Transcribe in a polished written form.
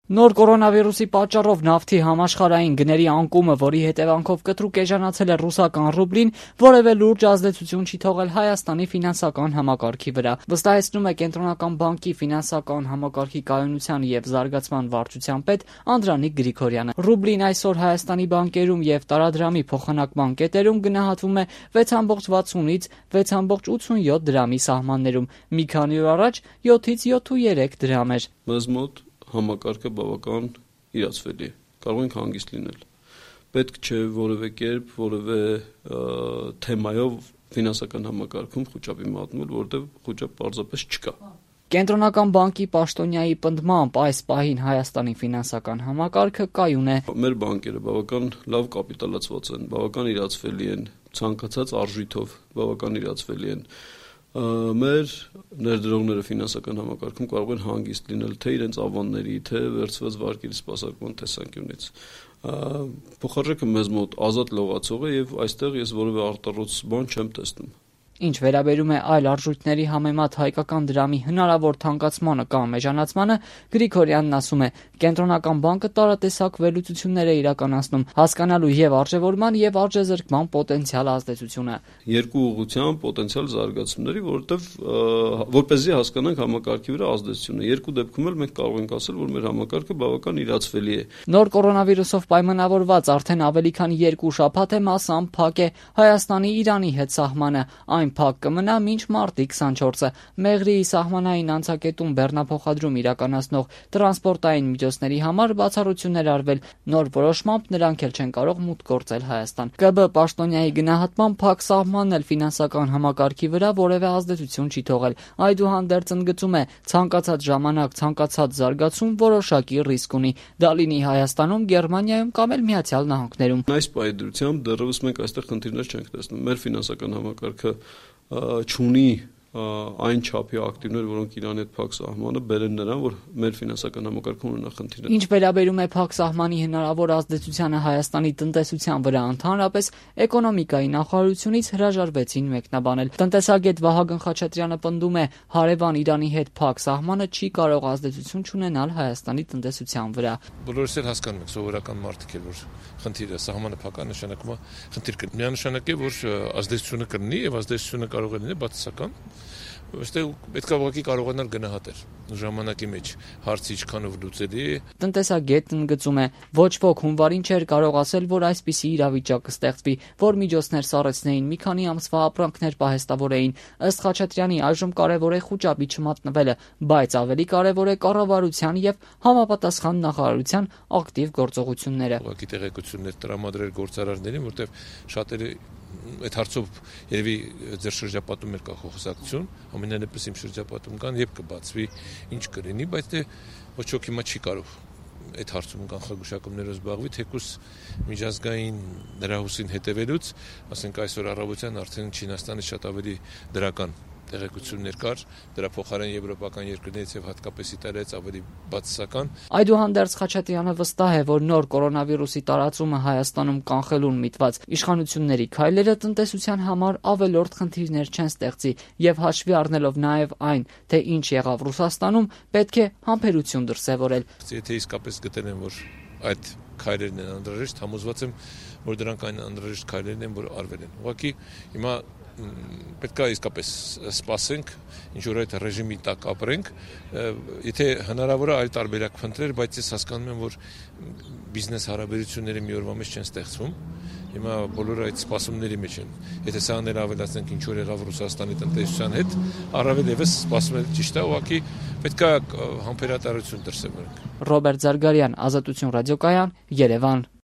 Նոր կորոնավիրուսի պատճառով նավթի համաշխարհային գների անկումը, որի հետևանքով կտրուկ էժանացել է ռուսական ռուբլին, որևէ լուրջ ազդեցություն չի թողել Հայաստանի ֆինանսական համակարգի վրա, վստահեցնում է Կենտրոնական բանկի ֆինանսական համակարգի կայունության եւ զարգացման վարչության պետ Անդրանիկ Գրիգորյանը։ Ռուբլին այսօր Հայաստանի բանկերում եւ տարադրամի փոխանակման կետերում գնահատվում է 6.60-ից 6.87 դրամի սահմաններում։ Մի քանի օր առաջ 7-ից 7.3 դրամ էր։ Մեզ մոտ համակարգը բավական իրացվելի է, կարող ենք հանգիստ լինել։ Պետք չէ որևէ կերպ, որևէ թեմայով ֆինանսական համակարգում խոճապի մատնվել, որտեղ խոճապ պարզապես չկա։ Կենտրոնական բանկի պաշտոնյայի պնդմամբ այս պահին Հայաստանի ֆինանսական համակարգը կայուն է։ Մեր բանկերը բավական լավ կապիտալացված են, բավական իրացվելի են, ցանկացած արժույթով բավական իրացվելի են։ Մեր ներդրողները ֆինանսական համակարգում կարող են հանգիստ լինել թե իրենց ավանների, թե վերցված վարկերի սպասարկման տեսանկյունից։ Փոխարժեքը մեզ մոտ ազատ լողացող է եւ այստեղ ես որևէ արտառոց բան չեմ տեսնում։ Ինչ վերաբերում է այլ արժույթների համեմատ հայկական դրամի հնարավոր թանկացմանը կամ էժանացմանը, Գրիգորյանն ասում է, Կենտրոնական բանկը տարատեսակ վերլուծություններ է իրականացնում, հասկանալու եւ արժեվորման եւ արժեզրկման պոտենցիալ ազդեցությունը։ Երկու ուղղությամբ պոտենցիալ զարգացումների, որովհետեւ որպեսզի հասկանանք համակարգի վրա ազդեցությունը։ Երկու դեպքում էլ մենք կարող ենք ասել, որ մեր համակարգը բավական իրացվելի է։ Նոր կորոնավիրուսով պայմանավորված արդեն ավելի քան 2 շաբաթ է մասամբ փակ է Հայաստանի Իրանի հետ սահմանը։ Այն փակ կմնա մինչ մարտի 24-ը։ Մեղրիի սահմանային անցակետում բեռնափոխադրում իրականացնող տրանսպորտային միջոցների համար բացառություններ արվել։ Նոր որոշմամբ նրանք էլ չեն կարող մուտք գործել Հայաստան։ ԿԲ պաշտոնյայի գնահատմամբ փակ սահմանն էլ ֆինանսական համակարգի վրա որևէ ազդեցություն չի թողել։ Այդուհանդերձ ընդգծում է, ցանկացած ժամանակ, ցանկացած զարգացում որոշակի ռիսկ ունի։ Դա լինի Հայաստանում, Գերմանիայում կամ էլ Միացյալ Նահանգներում։ Այս պայմանությամբ դեռևս մենք այստեղ խնդիրներ չենք տեսնում։ Մեր ֆինանսական համակարգը չունի այն չափի ակտիվներ, որոնք Իրանի հետ փակ սահմանը բերեն նրան, որ մեր ֆինանսական համակարգում ունենա խնդիրներ։ Ինչ վերաբերում է փակ սահմանի հնարավոր ազդեցությանը Հայաստանի տնտեսության վրա, ընդհանրապես էկոնոմիկայի նախարարությունից հրաժարվեցին մեկնաբանել։ Տնտեսագետ Վահագն Խաչատրյանը պնդում է, հարևան Իրանի հետ փակ սահմանը չի կարող ազդեցություն չունենալ Հայաստանի տնտեսության վրա։ Բոլորս էլ հասկանում ենք, սովորական մարդիկ էլ, որ խնդիրը սահմանը փակա նշանակում է խնդիր կա։ Միանշանակ է, որ ազդեցությունը կլինի եւ ազդեցությունը կարող է լինել բացասական։ Այստեղ պետք է ուղղակի կարողանալ գնահատել ժամանակի մեջ հարցը ինչքանով լուծելի է։ Տնտեսագետն ընդգծում է, ոչ ոք հունվարին չէր կարող ասել, որ այսպիսի իրավիճակ կստեղծվի, որ միջոցներ սառեցնեին, մի քանի ամսվա ապրանքներ պահեստավորեին։ Ըստ Խաչատրյանի այժմ կարևոր է խոճապի չմատնվելը, բայց ավելի կարևոր է կառավարության եւ համապատասխան նախարարության ակտիվ գործողությունները։ Ուղղակի տեղեկություններ տրամադրել գործարարներին, որտեղ շատերը այդ հարցով երևի ձեր շրջապատում էլ կա խոսակցություն, ամենայնպես իմ շրջապատում կան եւ կբացվի ինչ կլինի, բայց դե ոչ ոք հիմա չի կարող այդ հարցում կանխագուշակումներով զբաղվի, թեկուզ միջազգային դրահուսին հետևելուց, ասենք այսօր առավոտյան արդեն Չինաստանը շատ ավելի դրական տեղեկություններ կար, դրա փոխարեն եվրոպական երկրներից եւ հատկապես Իտալիայից ավելի բացասական։ Այդուհանդերձ Խաչատրյանը վստահ է, որ նոր կորոնավիրուսի տարածումը Հայաստանում կանխելուն միտված իշխանությունների քայլերը տնտեսության համար ավելորդ խնդիրներ չեն ստեղծի եւ հաշվի առնելով նաեւ այն, թե ինչ եղավ Ռուսաստանում, պետք է համբերություն դրսեւորել։ Եթե իսկապես գտել են, որ այդ քայլերն են անհրաժեշտ, համոզված եմ, որ դրանք այն անհրաժեշտ քայլերն են, որ արվել են։ Ուղղակի հիմա պետք է իսկապես սպասենք, ինչ որ այդ ռեժիմի տակ ապրենք, եթե հնարավոր է այլ տարբերակ փնտրել, բայց ես հասկանում եմ, որ բիզնես հարաբերությունները մի օրվա մեջ չեն ստեղծվում։ Հիմա բոլորը այդ սպասումների մեջ են։ Եթե սա անել ավելացնենք ինչ որ եղավ Ռուսաստանի տնտեսության հետ, առավել եւս սպասում եմ ճիշտ է, ուղղակի պետք է համբերատարություն դրսևորենք։ Ռոբերտ Զարգարյան, Ազատություն ռադիոկայան, Երևան։